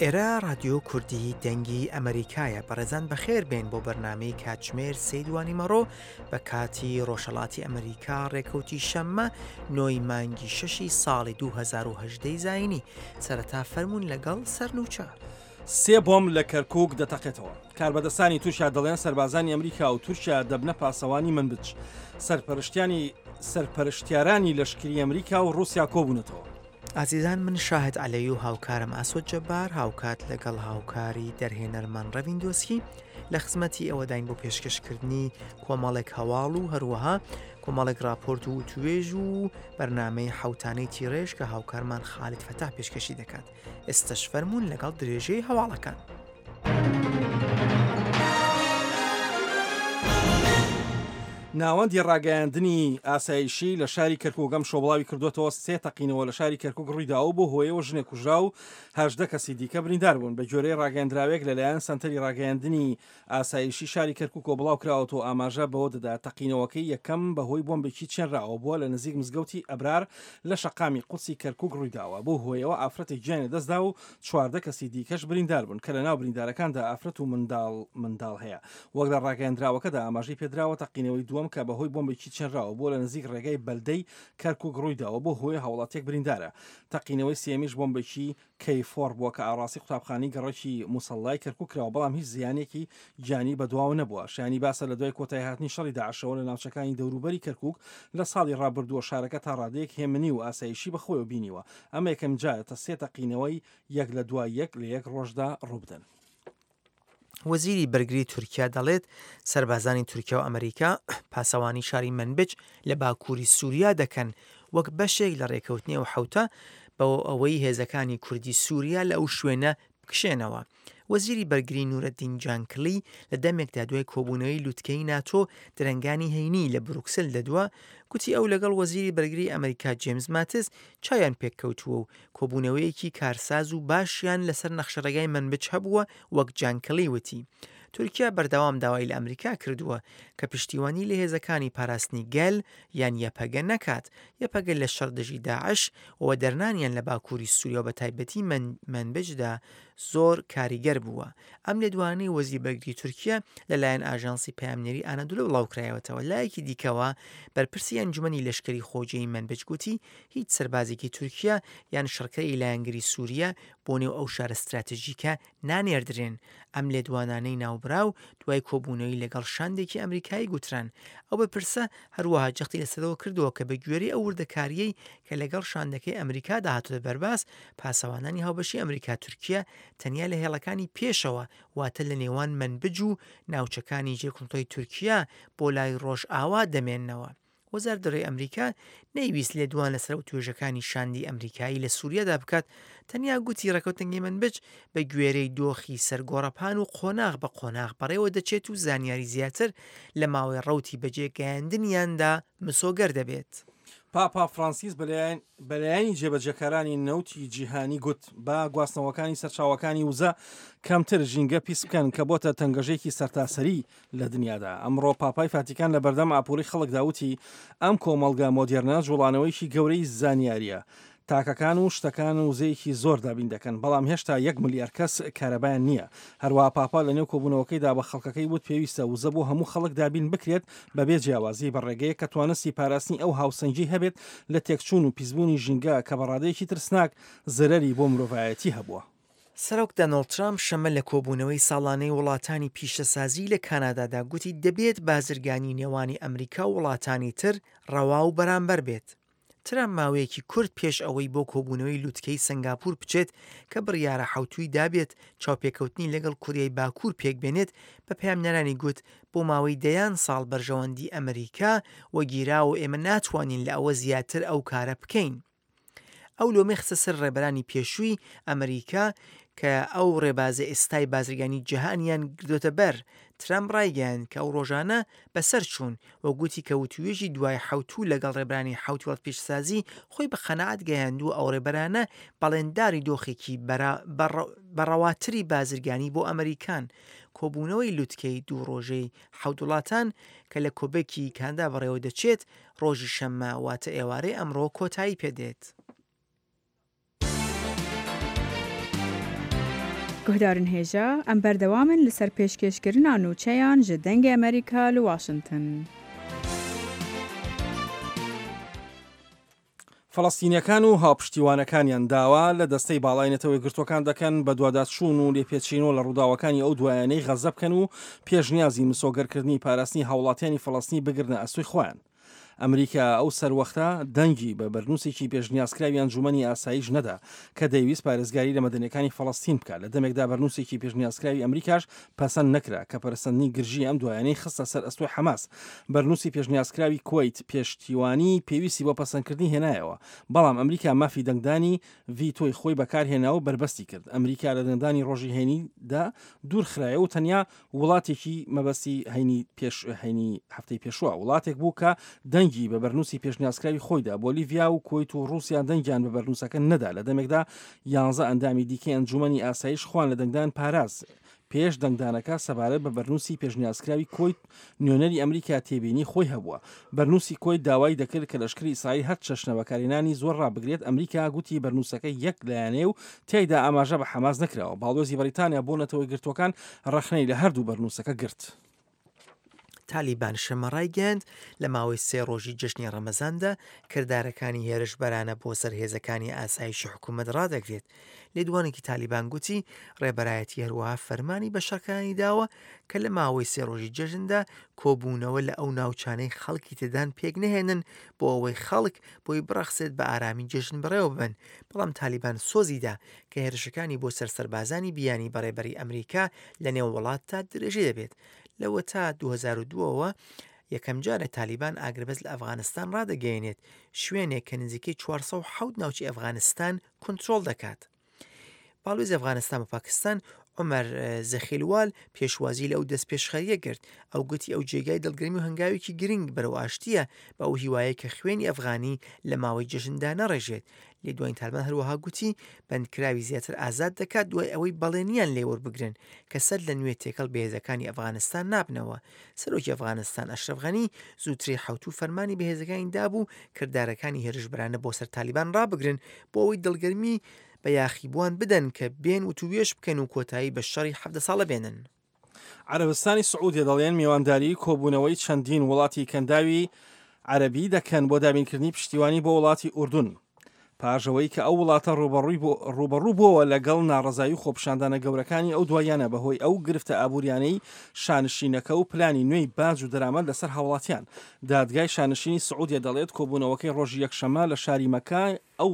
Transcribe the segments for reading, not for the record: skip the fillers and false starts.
ئێرە ڕادیۆ کوردی دەنگی ئەمەریکایە بەڕێزان بەخێر بێن بۆ بەرنامەی کاتژمێر سێی دوانیمەڕۆ بە کاتی ڕۆژهەڵاتی ئەمریکا ڕێکەوتی شەممە نۆی مانگی شەشی ساڵی 2010 زایینی سەرەتا فەرمونون لەگەڵ سەرنوچە. سێ بۆمب لە کەرکوک دەتەقێتەوە. کاربەدەستانی تورکیا دەڵێن سەربازانی ئەمریکا و تورکیا دەبنە پاسەوانی منبج. سەرپەرشتیانی سەرپەرشتیارانی لەشکری ئەمریکا و ڕووسیا کۆبوونەتەوە. ئازیزان من شاهد عەلەی و هاوکارم ئاسۆ جەبار هاوکات لەگەڵ هاوکاری دەرهێنەرمان ڕەوین دۆسکی لە خزمەتی ئێوەداین بۆ پێشکەشکردنی کۆمەڵێک هەواڵ و هەروەها کۆمەڵێک راپۆرت و وتوێژ و بەرنامەی حوتانەی تیڕێژ کە هاوکارمان خالد فەتاح پێشکەشی دەکات ئێستەش فەرموون لەگەڵ درێژەی هەواڵەکان. ناوەندی ڕاگەیاندنی ئاسایشی لە شاری کەرکوک ئەمشەو بڵاوی کردووەتەوە، سێ تەقینەوە لە شاری کەرکوک ڕوویداوە و بەو هۆیەوە ژنێک کوژرا و 18 کەسی دیکە بریندار بوون. بەگوێرەی ڕاگەیەندراوێک لەلایەن سەنتەری ڕاگەیاندنی ئاسایشی شاری کەرکوکەوە بڵاوکراوەتەوە ئاماژە بەوە دەدات، تەقینەوەکەی یەکەم بەهۆی بۆمبێکی چێنراوە بووە لە نزیک مزگەوتی ئەبرار لە شەقامی قودسی کەرکوک ڕوویداوە، بەو هۆیەوە ئافرەتێک گیانی لەدەستدا و 14 کەسی دیکەش بریندار بوون کە لەناو بریندارەکاندا ئافرەت و منداڵ منداڵ هەیە. وەک لە ڕاگەیەندراوەکەدا ئاماژەی پێدراوە، تەقینەوەی دووەم کە بەهۆی بۆمبێکی چێنراوە بووە لە نزیک ڕێگای بەلدەی کەرکوک ڕوویداوە، بەو هۆیە هاوڵاتیەک بریندارە. تەقینەوەی سێیەمیش بۆمبێکی کەی فۆر بووە کە ئاڕاستەی قوتابخانەی گەڕەکی موسەڵلای کەرکوک کراوە، بەڵام هیچ زیانێکی گیانی بەدواوە نەبووە. شایانی باسە لە دوای کۆتاییهاتنی شەڕی داعشەوە لە ناوچەکانی دەوروبەری کەرکوک لە ساڵی ڕابردووە شارەکە تا ڕادەیەک هێمنی و ئاسایشی بەخۆیەوە بینیوە. ئەمە یەکەمجارە تە سێ تەقینەوەی یەک لە دوای یەک لە یەک ڕۆژدا ڕووبدەن. وەزیری بەرگری تورکیا دەڵێت، سەربازانی تورکیا و ئەمریکا پاسەوانی شاری مەنبج لە باکووری سووریا دەکەن وەک بەشێک لە رێکەوتنی ئەو حەوتە بۆ ئەوەی هێزەکانی کوردی سووریا لە ئەو شوێنە بکشێنەوە. وەزیری بەرگری نورەدین جانکلی لە دەمێکدا دوای کۆبوونەوەی لوتکەی ناتۆ درەنگانی هەینی لە بروکسل دەدوا، گوتی ئەو لەگەڵ وەزیری بەرگری ئەمریکا جێمز ماتس چاویان پێککەوتووە و کۆبوونەوەیەکی کارساز و باشیان لەسەر نەخشەڕێگای مەنبج هەبووە وەک جان کلی وتی تورکیا بەردەوام داوای لە ئەمریکا کردووە کە پشتیوانی لە هێزەکانی پاراستنی گەل یان یەپەگە نەکات یەپەگە لە شەڕ دژی داعش و وەدەرنانیان لە باکووری سووریا و بەتایبەتی مەنبجدا زۆر کاریگەر بووە. ئەم لێدوانەی وەزیری بەرگری تورکیا لەلایەن ئاژانسی پەیامنێری ئانادۆلۆ بڵاوکرایەوەتەوە. لایەکی دیکەوە بەرپرسی ئەنجومەنی لەشکری خۆجێی مەنبج گوتی هیچ سەربازێکی تورکیا یان شەڕکەری لایەنگری سووریا بۆ نێو ئەو شارە ستراتژیکە نانێردرێن. ئەم لێدوانانەی ناوبراو دوای کۆبوونەوەی لەگەڵ شاندێکی ئەمریکایی گوتران. ئەو بەرپرسە هەروەها جەختی لەسەرەوە کردەوە کە بە گوێرەی ئەو وردەکارییەی کە لەگەڵ شاندەکەی ئەمریکادا هاتۆتە بەرباس، پاسەوانانی هاوبەشی ئەمریکا-تورکیا تەنیا لە هێڵەکانی پێشەوە واتە لە نێوان مەنبج و ناوچەکانی ژێر کۆنترۆڵی تورکیا بۆ لای ڕۆژئاوا دەمێننەوە. وەزارەت دەرەوەی ئەمریکا نەیویست لێدوان لەسەر وتوێژەکانی شاندی ئەمریکایی لە سووریادا بکات، تەنیا گوتی ڕێککەوتنەکەی مەنبج بە گوێرەی دۆخی سەر گۆڕەپان و قۆناغ بە قۆناغ بەڕێوە دەچێت و زانیاری زیاتر لە ماوەی ڕەوتی بەجێ گەیاندنیاندا مسۆگەر دەبێت. پاپا فرانسیس بە لایەنی جێبەجێکارانی نەوتی جیهانی گوت، با گواستنەوەکانی سەرچاوەکانی وزە کەمتر ژینگە پیس بکەن کە بۆتە تەنگەژەیەکی سەرتاسەری لە دنیادا. ئەمڕۆ پاپای فاتیکان لە بەردەم ئاپۆرەی خەڵکدا وتی، ئەم کۆمەڵگە مۆدێرنە جوڵانەوەیەکی گەورەی زانیارییە. تاکەکان و شتەکان وزەیەکی زۆر دابین دەکەن، بەڵام هێشتا یەک ملیار کەس کارەبایان نییە. هەروەها پاپا لەنێو کۆبوونەوەکەیدا بە خەڵکەکەی وت پێویستە وزە بۆ هەموو خەڵک دابین بکرێت بەبێ جیاوازی بە ڕێگەیەک کە توانستی پاراستنی ئەو هاوسەنگی هەبێت لە تێکچوون و پیسبوونی ژینگە کە بە ڕادەیەکی ترسناک زەرەری بۆ مرۆڤایەتی هەبووە. سەرۆک دانۆڵد ترامپ شەممە لە کۆبوونەوەی ساڵانەی وڵاتانی پیشەسازی لە کانادادا گوتی دەبێت بازرگانی نێوانی ئەمریکا و وڵاتانی تر ڕەوا و بەرامبەر بێت. ترامپ ماوەیەکی کورت پێش ئەوەی بۆ کۆبوونەوەی لوتکەی سەنگاپور بچێت کە بڕیارە حەوتووی دابێت چاوپێکەوتنی لەگەڵ کوریای باکوور پێکبێنێت بە پەیامنێرانی گوت بۆ ماوەی دەیان ساڵ بەرژەوەندی ئەمریکا وەگیراوە و ئێمە ناتوانین لە ئەوە زیاتر ئەو کارە بکەین. ئەو لۆمەی خستە سەر ڕێبەرانی پێشووی ئەمریکا کە ئەو ڕێبازە ئێستای بازرگانی جیهانیان گرتۆتە بەر. ترەمپ ڕایگەیاند کە ئەو ڕۆژانە بەسەر چوون و گوتی کە وتووێژی دوای حەوتوو لەگەڵ ڕێبەرانی حەوت وڵات پیشەسازی خۆی بە قەناعەت گەیاندووە ئەو ڕێبەرانە بەڵێنداری دۆخێکی بە ڕەواتری بازرگانی بۆ ئەمریکان. کۆبوونەوەی لوتکەی دوو ڕۆژەی حەوت وڵاتان کە لە کۆبێکی کاندا بەڕێوە دەچێت ڕۆژی شەممە واتە ئێوارەی ئەمڕۆ کۆتایی پێدێت. Guhdarên hêja, em berdewam in li ser pêşkêşkirina nûçeyan ji Dengê Amerîka li Washington. فەڵەستینییەکان و هاوپشتیوانەکانیان داوا لە دەستەی باڵای نەتەوە یەکگرتووەکان دەکەن بەدواداچوون و لێپێچینەوە لە ڕووداوەکانی ئەو دوایانەی غەززە بکەن و پێشنیازی مسۆگەرکردنی پاراستنی هاوڵاتیانی فەڵەستینی بگرنە ئەستۆی خۆیان. ئەمریکا ئەو سەروەختە دەنگی بە بەرنووسێکی پێشنیازکراوی ئەنجوومەنی ئاسایش نەدا کە دەیویست پارێزگاری لە مەدەنیەکانی فەڵەستین بکات، لە دەمێکدا بەرنووسێکی پێشنیازکراوی ئەمریکاش پەسەند نەکرا کە پەرەسەندنی گرژیی ئەم دوایانەی خستە سەر ئەستۆی حەماس. بەرنووسی پێشنیازکراوی کوەیت پێشتیوانیی پێویستی بۆ پەسەندکردنی هێنایەوە، بەڵام ئەمریکا مافی دەنگدانی ڤیتۆی خۆی بەکارهێنا و بەربەستی کرد. ئەمریکا لە دەنگدانی ڕۆژی هەینیدا دوورخرایەوە و تەنیا وڵاتێکی مەبەستی هەینی پێش هەینی هەفتەی پێشووە وڵاتێک بوو کە دەنگی بە بەرنووسی پێشنیازکراوی خۆیدا. بۆلیڤیا و کوەیت و ڕووسیا دەنگیان بە بەرنووسەکە نەدا، لە دەمێکدا یانزە ئەندامی دیکەی ئەنجوومەنی ئاسایش خۆیان لە دەنگدان پاراست. پێش دەنگدانەکە سەبارەت بە بەرنووسی پێشنیازکراوی کۆیت نوێنەری ئەمریکا تێبینی خۆی هەبووە. بەرنووسی کۆیت داوای دەکرد کە لەشکری ئیسرائیل هەر چەشنە بەکارهێنانی زۆر ڕابگرێت، ئەمریکا گوتی بەرنووسەکە یەک لایەنەیە و تیایدا ئاماژە بە حەماس نەکراوە. باڵیۆزی بەریتانیا بۆ نەتەوە یەکگرتووەکان ڕەخنەی لە هەردوو بەرنووسەکە گرت. تالیبان شەممە ڕایگەیاند، لە ماوەی سێ ڕۆژی جەژنی ڕەمەزاندا کردارەکانی هێرشبەرانە بۆ سەر هێزەکانی ئاسایشی حکوومەت ڕادەگرێت. لێدوانێکی تالیبان گوتی، ڕێبەرایەتی هەروەها فەرمانی بە شەڕکەرانی داوە کە لە ماوەی سێ ڕۆژی جەژندا کۆبوونەوە لە ئەو ناوچانەی خەڵکی تێدان پێک نەهێنن بۆ ئەوەی خەڵک بۆی بڕەخسێت بە ئارامی جەژن بەڕێوە ببەن، بەڵام تالیبان سۆزی دا کە هێرشەکانی بۆ سەر سەربازانی بیانی بە ڕێبەری ئەمریکا لە نێو وڵاتدا درێژەی دەبێت. لەوەتا 2002 ەوە یەکەمجارە تالیبان ئاگربەست لە ئەفغانستان ڕادەگەیەنێت، شوێنێک کە نزیکەی 407 ناوچەی ئەفغانستان کۆنترۆڵ دەکات. باڵوێزی ئەفغانستان بۆ پاکستان عومەر زەخیلوال پێشوازی لە ئەو دەستپێشخەرییە کرد. ئەو گوتی ئەو جێگای دڵگەرمی و هەنگاوێکی گرنگ بەرەو ئاشتییە بە ئەو هیوایەی کە خوێنی ئەفغانی لە ماوەی جەژندا نەڕێژێت. لێدوانی تالبان هەروەها گوتی بەندکراوی زیاتر ئازاد دەکات دوای ئەوەی بەڵێنیان لێ وەربگرن کە سەر لە نوێ تێکەڵ بە هێزەکانی ئەفغانستان نابنەوە. سەرۆکی ئەفغانستان ئەشرەف غەنی زووتری حەوتوو فەرمانی بە هێزەکانی دابوو کردارەکانی هێرشبەرانە بۆ سەر تالیبان ڕابگرن بۆ ئەوەی دڵگەرمی بە یاخیبووان بدەن کە بێن وتووێژ بکەن و کۆتایی بە شەڕی 17 ساڵە بێنن. عەرەبستانی سعودیە دەڵێن میوانداری کۆبوونەوەی چەندین وڵاتی کەنداوی عەرەبی دەکەن بۆ دابینکردنی پشتیوانی بۆ وڵاتی ئوردون پاش ئەوەی کە ئەو وڵاتە ڕووبەڕووی ڕووبەڕوو بۆوە لەگەڵ ناڕەزایی و خۆپیشاندانە گەورەکانی ئەو دواییانە بەهۆی ئەو گرفتە ئابووریانەی شانشینەکە و پلانی نوێی باج و دەرامەت لەسەر هاوڵاتیان. دادگای شانشینی سعودیە دەڵێت کۆبوونەوەکەی ڕۆژی یەکشەممە لە شاری مەکە ئەو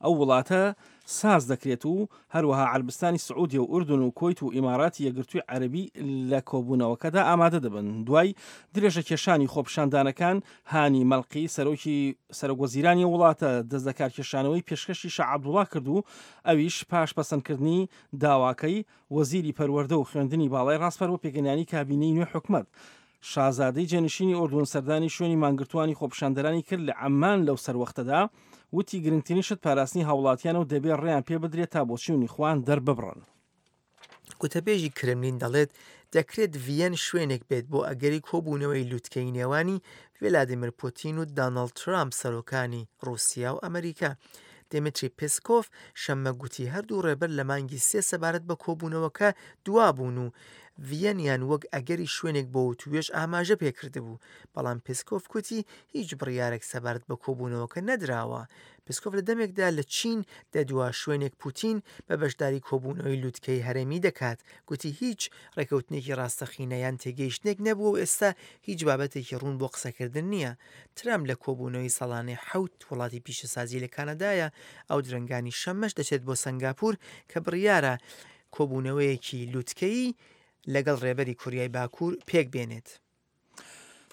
ئەو وڵاتە ساز دەکرێت و هەروەها عەربستانی سعودیە و ئوردن و کوەیت و ئیماراتی یەکگرتووی عەرەبی لە کۆبوونەوەکەدا ئامادە دەبن. دوای درێژەکێشانی خۆپیشاندانەکان، هانی مەلقی سەرۆکی سەرۆک وەزیرانی ئەو وڵاتە دەستلەکارکێشانەوەی پێشکەشی شا عەبدوڵا کرد و ئەویش پاش پەسەندکردنی داواکەی وەزیری پەروەردە و خوێندنی باڵای ڕاسپارد بۆ پێکهێنانی کابینەی نوێی حکومەت. شازادەی جێنشینی ئوردون سەردانی شوێنی مانگرتووانی خۆپیشاندەرانی کرد لە عەممان لەو سەروەختەدا وتی گرنگترین شت پاراستنی هاوڵاتیانە و دەبێ ڕێیان پێ بدرێت تا بۆچوونی خۆیان دەرببڕن. گوتەبێژی کرملین دەڵێت، دەکرێت ڤییەن شوێنێک بێت بۆ ئەگەری کۆبوونەوەی لوتکەی نێوانی ڤلادیمیر پوتین و دانۆڵد ترامپ سەرۆکانی ڕووسیا و ئەمریکا. دیمیتری پێسکۆف شەممە گوتی هەردوو ڕێبەر لە مانگی سێ سەبارەت بە کۆبوونەوەکە دوابوون و ڤییەنیان وەک ئەگەری شوێنێک بۆ وتووێژ ئاماژە پێکردبوو، بەڵام پێسکۆف گوتی هیچ بڕیارێک سەبارەت بە کۆبوونەوەکە نەدراوە. پێسکۆف لە دەمێکدا لە چین دەدوا شوێنێک پوتین بە بەشداری کۆبوونەوەی لوتکەی هەرێمی دەکات، گوتی هیچ ڕێکەوتنێکی ڕاستەقینە یان تێگەیشتنێک نەبووە و ئێستا هیچ بابەتێکی ڕوون بۆ قسەکردن نییە. ترەمپ لە کۆبوونەوەی ساڵانەی حەوت وڵاتی پیشەسازی لە کانەدایە، ئەو درەنگانی شەممەش دەچێت بۆ سەنگاپور کە بڕیارە کۆبوونەوەیەکی لوتکەیی لەگەڵ ڕێبەری کۆریای باکوور پێکبێنێت.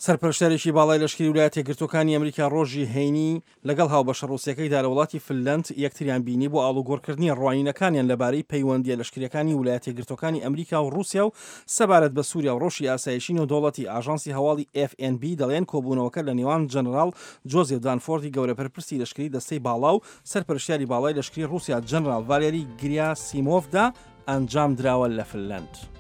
سەرپەرشتیارێکی باڵای لەشکری ولایەتە یەکگرتووەکانی ئەمریکا ڕۆژی هەینی لەگەڵ هاوبەشە ڕووسیەکەیدا لە وڵاتی فنلەند یەکتریان بینی بۆ ئاڵوگۆڕکردنی ڕوانینەکانیان لەبارەی پەیوەندییە لەشکرییەکانی ولایەتە یەکگرتووەکانی ئەمریکا و ڕووسیا و سەبارەت بە سووریا و ڕەوشی ئاسایشی نێودەوڵەتی. ئاژانسی هەواڵی ئێف ئێن بی دەڵێن کۆبوونەوەکە لە نێوان جەنەراڵ جۆزێف دانفۆردی گەورە بەرپرسی لەشکری دەستەی باڵا و سەرپەرشتیاری باڵای لەشکری ڕووسیا جەنەراڵ ڤالێری گریاسیمۆفدا ئەنجامدراوە لە فنلەند.